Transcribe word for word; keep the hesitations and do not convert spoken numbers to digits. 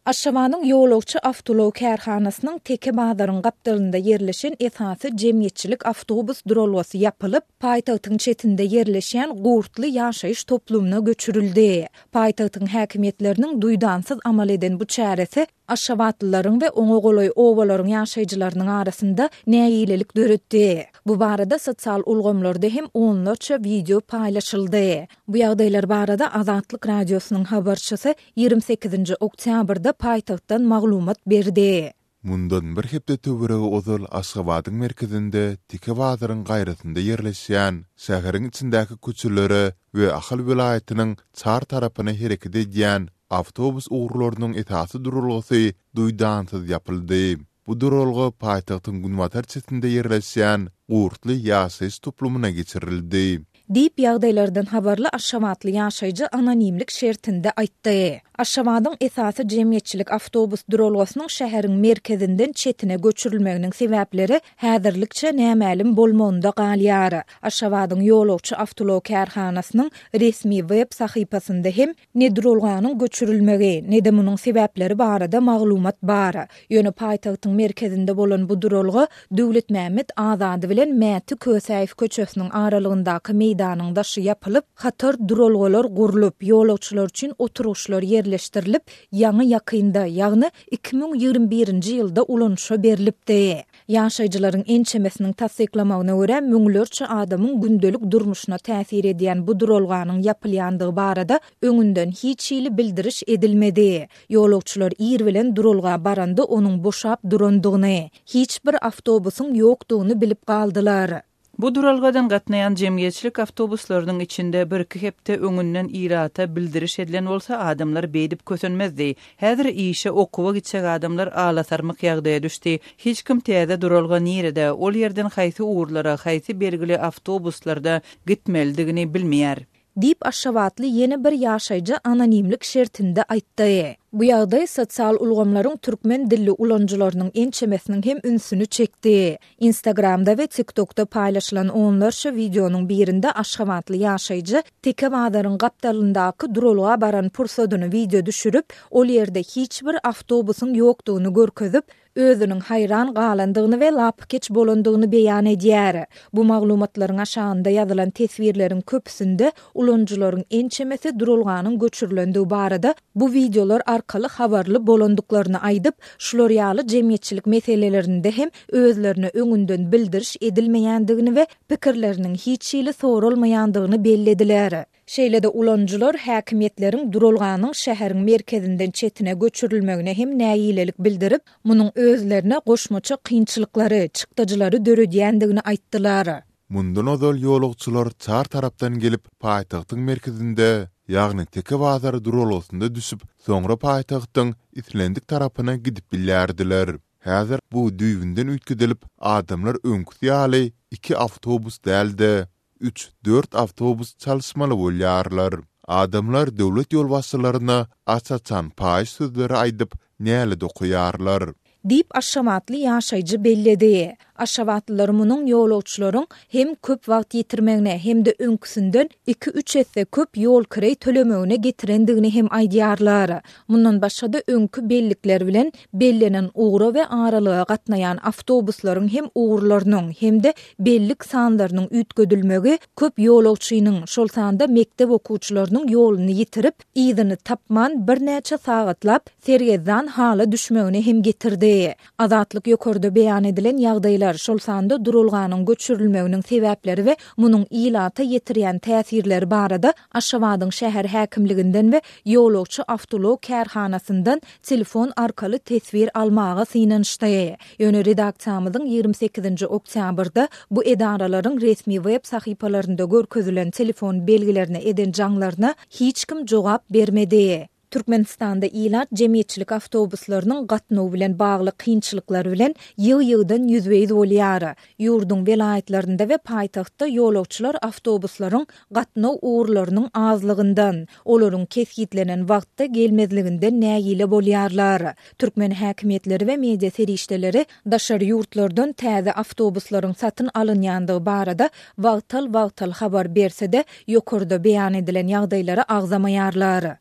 Aşgabadyň ýolagçy awtoulag kärhanasynyň Teke bazaryň gapdalynda ýerleşen esasy jemgyýetçilik awtobus duralgasy ýapylyp, paýtagtyň çetinde ýerleşýän Gurtly ýaşaýyş toplumyna göçürildi. Paýtagtyň häkimiýetleriniň duýdansyz amal eden bu çäresi aşgabatlylaryň we oňa golaý obalaryň ýaşaýjylarynyň arasynda nägilelik döretdi. Bu barada sosial ulgamlarda hem onlarça wideo paýlaşyldy. Bu ýagdaýlar barada Azatlyk Radiosynyň habarçysy ýigrimi sekizinji oktýabrda paýtagtdan maglumat berdi. Mundan bir hepde töweregi ozal Aşgabadyň merkezinde Teke bazaryň gaýrasynda ýerleşýän, şäheriň içindäki köçelere we Ahal welaýatynyň çar tarapyna hereket edýän awtobus ugurlarynyň esasy duralgasy duýdansyz ýapyldy. Bu duralga paýtagtyň günbatar çetinde ýerleşýän Gurtly ýaşaýyş toplumyna geçirildi. Diýip, ýagdaýlardan habarly aşgabatly ýaşaýjy anonimlik şertinde aýtdy. Aşgabadyň esasy jemgyýetçilik awtobus duralgasynyň şäheriň merkezinden çetine göçürilmeginiň sebäpleri häzirlikçe nämälim bolmagynda galýar. Aşgabadyň ýolagçy awtoulag kärhanasynyň resmi web sahypasynda hem ne duralganyň göçürilmegi, ne-de munuň sebäpleri barada maglumat bar. Ýöne paýtagtyň merkezinde bolan bu duralga Döwletmämmet Azady bilen Mäti Kösäýew köçesiniň aralygyndaky meýdanyň daşy ýapylyp, hatar duralgalar gurlup, ýolagçylar üçin oturgyçlar ýerleşdirilip, ýaňy-ýakynda, ýagny iki müň ýigrimi birinji ýylda ulanyşa berlipdi. Ýaşaýjylaryň ençemesiniň tassyklamagyna görä, müňlerçe adamyň gündelik durmuşyna täsir edýän bu duralganyň ýapylýandygy barada öňünden hiç hili bildiriş edilmedi. Ýolagçylar ir bilen duralga baranda onuň boşap durandygyny, hiç bir awtobusyň ýokdugyny bilip galdylar. Bu duralgadan gatnaýan jemgyýetçilik awtobuslarynyň içinde bir-iki hepde öňünden ilata bildiriş edilen bolsa, adamlar beýdip kösenmezdi. Häzir işe, okuwa gitjek adamlar alasarmyk ýagdaýa düşdi. Hiç kim täze duralga nirede, ol ýerden haýsy ugurlara, haýsy belgili awtobuslarda gitmelidigini bilmeýär. Diýip, aşgabatly ýene bir ýaşaýjy anonimlik şertinde aýtdy. Bu ýagdaý sosial ulgamlaryň türkmen dilli ulanyjylarynyň ençemesiniň hem ünsüni çekdi. Instagramda we TikTokda paýlaşylan onlarça wideonyň birinde aşgabatly ýaşaýjy Teke bazaryň gapdalyndaky duralga baran pursadyny wideo düşürip, ol ýerde hiç bir awtobusyň ýokdugyny görkezip, özüniň haýran galandygyny we lapykeç bolandygyny beýan edýär. Bu maglumatlaryň aşagynda ýazylan teswirleriň köpüsinde ulanyjylaryň ençemesi duralganyň göçürilendigi barada bu wideolar arkaly habarly bolandyklaryny aýdyp, şular ýaly jemgyýetçilik meselelerinde hem özlerine öňünden bildiriş edilmeýändigini we pikirleriniň hiç hili soralmaýandygyny bellediler. Şeýle-de ulanyjylar häkimiýetleriň duralganyň şäheriň merkezinden çetine göçürilmegine hem nägilelik bildirip, munuň özlerine goşmaça kynçylyklary, çykdajylary döredýändigini aýtdylar. Mundan ozal ýolagçylar çar tarapdan gelip, paýtagtyň merkezinde, ýagny Teke bazary duralgasynda düşüp, soňra paýtagtyň islendik tarapyna gidip bilýärdiler. Häzir bu düýbünden üýtgedilip, adamlar öňküsi ýaly iki awtobus däl-de, üç-dört awtobus çalyşmaly bolýarlar. Adamlar döwlet ýolbaşçylaryna aç-açan paýyş sözleri aýdyp, nälet okaýarlar. Diýip, aşgabatly ýaşaýjy belledi. Aşgabatlylar munuň ýolagçylaryň hem köp wagt ýitirmegine, hem-de öňküsinden iki-üç esse köp ýolkireý tölemegine getirendigini hem aýdýarlar. Mundan başga-da öňki bellikler bilen bellenen ugra we aralyga gatnaýan awtobuslaryň hem ugurlarynyň, hem-de bellik sanlarynyň üýtgedilmegi köp ýolagçynyň, şol sanda mekdep okuwçylarynyň ýoluny ýitirip, yzyny tapman birnäçe sagatlap sergezdan hala düşmegine hem getirdi. Azatlyk ýokarda beýan edilen ýagdaýlar, şol sanda duralganyň göçürilmeginiň sebäpleri we munuň ilata ýetirýän täsirleri barada Aşgabadyň şäher häkimliginden we ýolagçy awtoulag kärhanasyndan telefon arkaly teswir almaga synanyşdy. Ýöne redaksiýamyzyň ýigrimi sekizinji oktýabrda bu edaralaryň resmi web sahypalarynda görkezilen telefon belgilerine eden jaňlaryna hiç kim jogap bermedi. Türkmenistanda ilat jemgyýetçilik awtobuslarynyň gatnawy bilen bagly kynçylyklar bilen ýygy-ýygydan ýüzbe-ýüz bolýar. Ýurduň welaýatlarynda we paýtagtda ýolagçylar awtobuslaryň gatnaw ugurlarynyň azlygyndan, olaryň kesgitlenen wagtda gelmezliginden nägile bolýarlar. Türkmen häkimiýetleri we media serişdeleri daşary ýurtlardan täze awtobuslaryň satyn alynýandygy barada wagtal-wagtal habar berse-de, ýokarda beýan edilen ýagdaýlary agzamaýarlar.